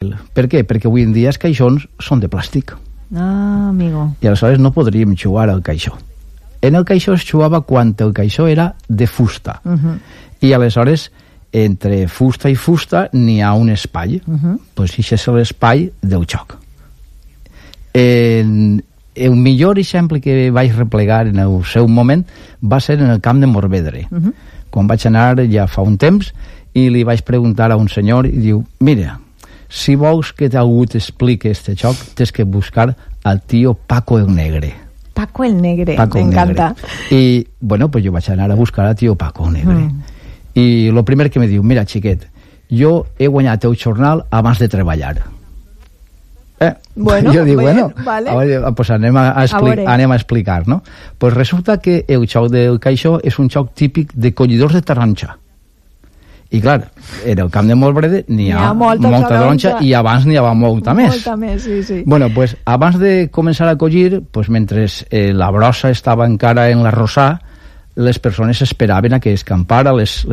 Per què? Perquè avui en dia els caixons són de plàstic. Ah, amigo. I aleshores no podríem jugar al caixó. En el caixó es jugava quan el caixó era de fusta. I aleshores, entre fusta i fusta, n'hi ha un espai. Pues això és l'espai del joc. El millor exemple que vaig replegar en el seu moment va ser en el camp de Morvedre. Quan vaig anar ja fa un temps i li vaig preguntar a un senyor i diu, mira, si vols que algú t'expliqui este joc, tens que buscar al tío Paco el Negre. Paco el Negre, m'encanta. I, bueno, pues jo vaig anar a buscar al tío Paco el Negre. I el primer que me diu, mira, xiquet, jo he guanyat el jornal abans de treballar. Bueno, jo dic, bueno, vale. Pues anem a explicar, no? Pues resulta que el joc del caixó és un joc típic de collidors de taronja. I clar, en el camp de Morvedre n'hi ha molta taronja i abans n'hi havia molta més. Molta més, sí. Bueno, pues abans de començar a collir, pues mentre la brossa estava encara en l'arrossar, les persones esperaven a que escampara, les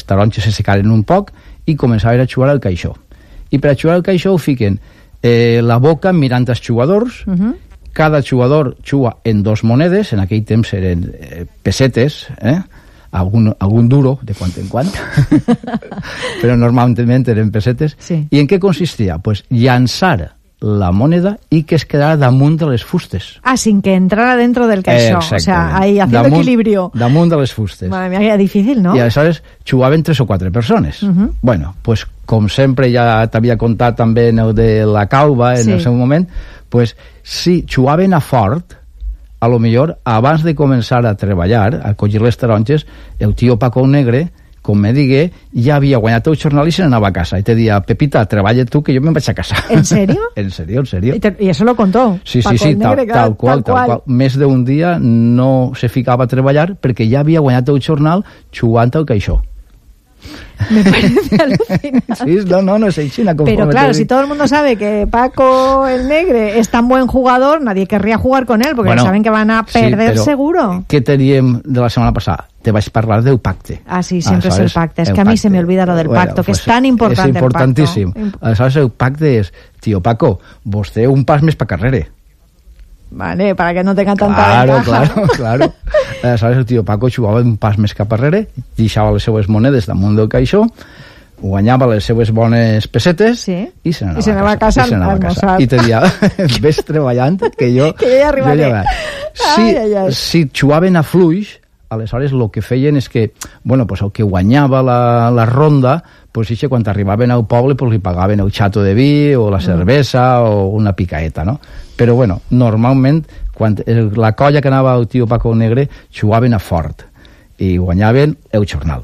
taronges se secaren un poc i començaven a jugar al caixó. I per a jugar al caixó ho fiquen la boca mirant els jugadors, cada jugador juga en 2 monedes, en aquell temps eren pessetes, algun duro de quan en quan però normalment eren pessetes. I en què consistia? Pues llançar la moneda y que es quedara damunt de les fustes. Sin que entrara dentro del caixó. O sea, ahí haciendo equilibrio. Damunt de les fustes. Madre mía, que difícil, ¿no? I aleshores jugaven 3 o 4 persones. Bueno, pues com sempre ja t'havia contat també en el de la Calva en el seu moment, pues si jugaven a fort, a lo millor abans de començar a treballar, a collir les taronges, el tio Paco Negre, com me digué, ja havia guanyat el jornal i se n'anava a casa. I te dia, Pepita, treballa tu que jo me'n vaig a casa. ¿En serio? En serio. ¿Y eso lo contó? Sí, tal qual. Més d'un dia no se ficava a treballar perquè ja havia guanyat el jornal jugant al caixó. Me parece alucinante. Sí, no es China. Pero claro, si todo el mundo sabe que Paco el Negre es tan buen jugador, nadie querría jugar con él, porque saben que van a perder seguro. ¿Qué teníem de la semana pasada? Te vais a hablar del pacte. Sí, siempre es el pacte. Es que a mí se me olvida lo del pacto, que es tan importante. Es importantísimo. ¿Sabes? El pacte es, tío Paco, vostè un pas més pa carrere. Vale, para que no tengan tanta ventaja. Claro. ¿Sabes? El tío Paco jugava un pas més cap arrere, deixava les seues monedes damunt del caixó, guanyava les seues bones pessetes i se n'anava a casa. I te dia, ves treballant, que jo ja arribaré. Si jugaven a fluix, aleshores el que feien és que, bueno, pues el que guanyava la ronda, pues quan arribaven al poble pues li pagaven el xato de vi o la cervesa o una picaeta, no? Però bueno, normalment quan la colla que anava al tio Paco Negre jugaven a fort y guanyaven el jornal.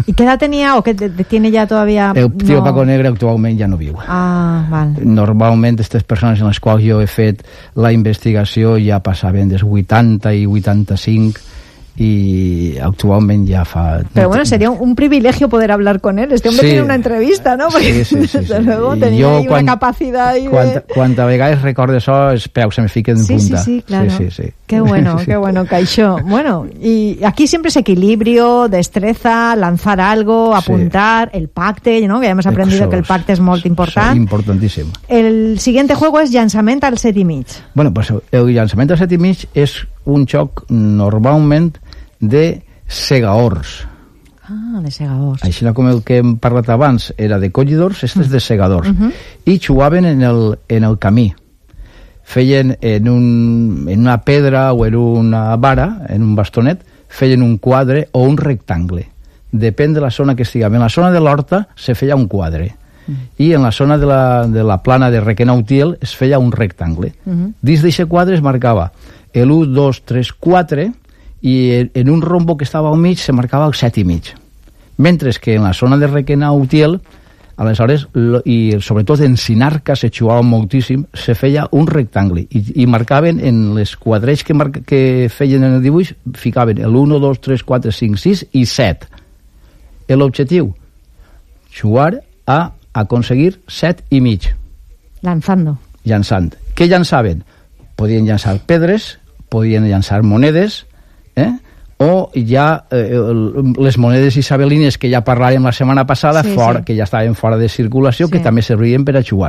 ¿Y qué edad tenía o qué tiene ya todavía? El tío Paco Negre actualment ja no viu. Vale. Normalment aquestes persones en les quals jo he fet la investigació ja passaven dels 80 i 85 y actualmente ya fa... Pero bueno, sería un privilegio poder hablar con él. Este hombre tiene una entrevista, ¿no? Porque desde luego tenía ahí una capacidad ahí de... Cuando a vegades recordo eso, els peus se me fiquen en punta. Sí, claro. Sí. Qué bueno, Caixó. Bueno, y aquí siempre es equilibrio, destreza, lanzar algo, apuntar, el pacte, ¿no? Que ya hemos aprendido que el pacte es muy importante. Importantísimo. El siguiente juego es llançament al 7 i mig. Bueno, pues el llançament al 7 i mig és un joc normalment de segadors. De segadors. Així com el que hem parlat abans era de collidors, este és de segadors. I jugaven en el camí. Feien en una pedra o en una vara, en un bastonet, feien un quadre o un rectangle. Depèn de la zona que estiguem. En la zona de l'horta se feia un quadre. I en la zona de la plana de Requena-Utiel es feia un rectangle. Dins d'aquest quadre es marcava el 1, 2, 3, 4 i en un rombo que estava al mig se marcava el 7 i mig. Mentre que en la zona de Requena-Utiel, aleshores, i sobretot en Sinarca se jugava moltíssim, se feia un rectangle i marcaven en les quadrells que feien en el dibuix, ficaven el 1, 2, 3, 4, 5, 6 i 7. L'objectiu, jugar a aconseguir 7 i mig. Llançant. Què llançaven? Podien llançar pedres, podien llançar monedes, o ja les monedes isabelines que ja parlàvem la setmana passada, que ja estaven fora de circulació, que també servien per a jugar.